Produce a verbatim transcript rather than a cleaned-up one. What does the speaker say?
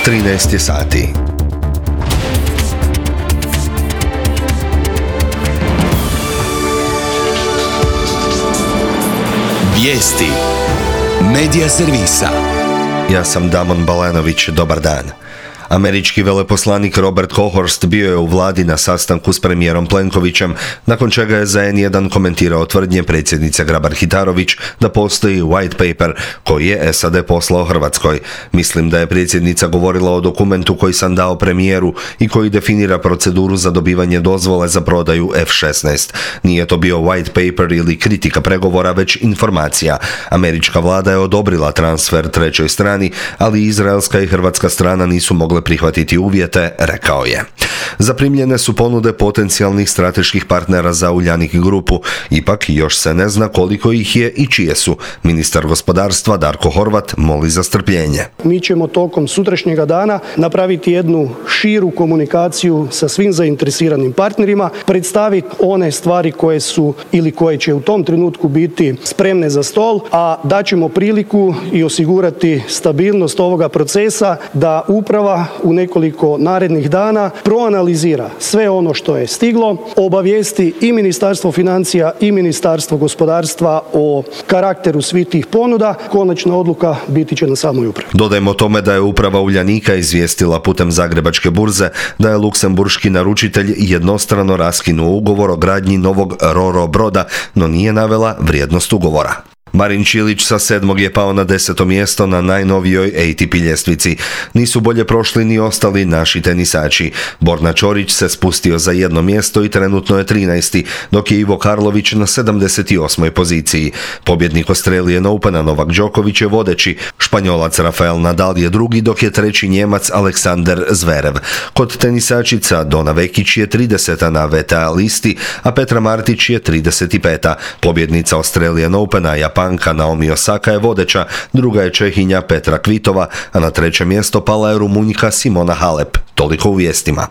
trinaest je sati. Vijesti Medija servisa. Ja sam Damon Balanović, dobar dan. Američki veleposlanik Robert Kohorst bio je u vladi na sastanku s premijerom Plenkovićem, nakon čega je za en jedan komentirao tvrdnje predsjednice Grabar-Kitarović da postoji white paper koji je es a de poslao Hrvatskoj. Mislim da je predsjednica govorila o dokumentu koji sam dao premijeru i koji definira proceduru za dobivanje dozvole za prodaju ef šesnaest. Nije to bio white paper ili kritika pregovora, već informacija. Američka vlada je odobrila transfer trećoj strani, ali izraelska i hrvatska strana nisu mogle prihvatiti uvjete, rekao je. Zaprimljene su ponude potencijalnih strateških partnera za Uljanik grupu, ipak još se ne zna koliko ih je i čije su. Ministar gospodarstva Darko Horvat moli za strpljenje. Mi ćemo tokom sutrašnjega dana napraviti jednu širu komunikaciju sa svim zainteresiranim partnerima, predstaviti one stvari koje su ili koje će u tom trenutku biti spremne za stol, a daćemo priliku i osigurati stabilnost ovoga procesa da uprava u nekoliko narednih dana proanalizira sve ono što je stiglo, obavijesti i Ministarstvo financija i Ministarstvo gospodarstva o karakteru svih tih ponuda. Konačna odluka biti će na samoj upravi. Dodajmo tome da je uprava Uljanika izvijestila putem Zagrebačke burze da je luksemburški naručitelj jednostrano raskinuo ugovor o gradnji novog ro-ro broda, no nije navela vrijednost ugovora. Marin Čilić sa sedmog je pao na deseto mjesto na najnovijoj A T P ljestvici. Nisu bolje prošli ni ostali naši tenisači. Borna Čorić se spustio za jedno mjesto i trenutno je trinaesti, dok je Ivo Karlović na sedamdeset osmoj poziciji. Pobjednik Australian Opena Novak Đoković je vodeći. Španjolac Rafael Nadal je drugi, dok je treći Njemac Aleksander Zverev. Kod tenisačica Dona Vekić je trideseta na ve te a listi, a Petra Martić je trideset peta. Pobjednica Australian Opena Japan Panka Naomi Osaka je vodeća, druga je Čehinja Petra Kvitova, a na treće mjesto pala je Rumunjka Simona Halep. Toliko u vijestima.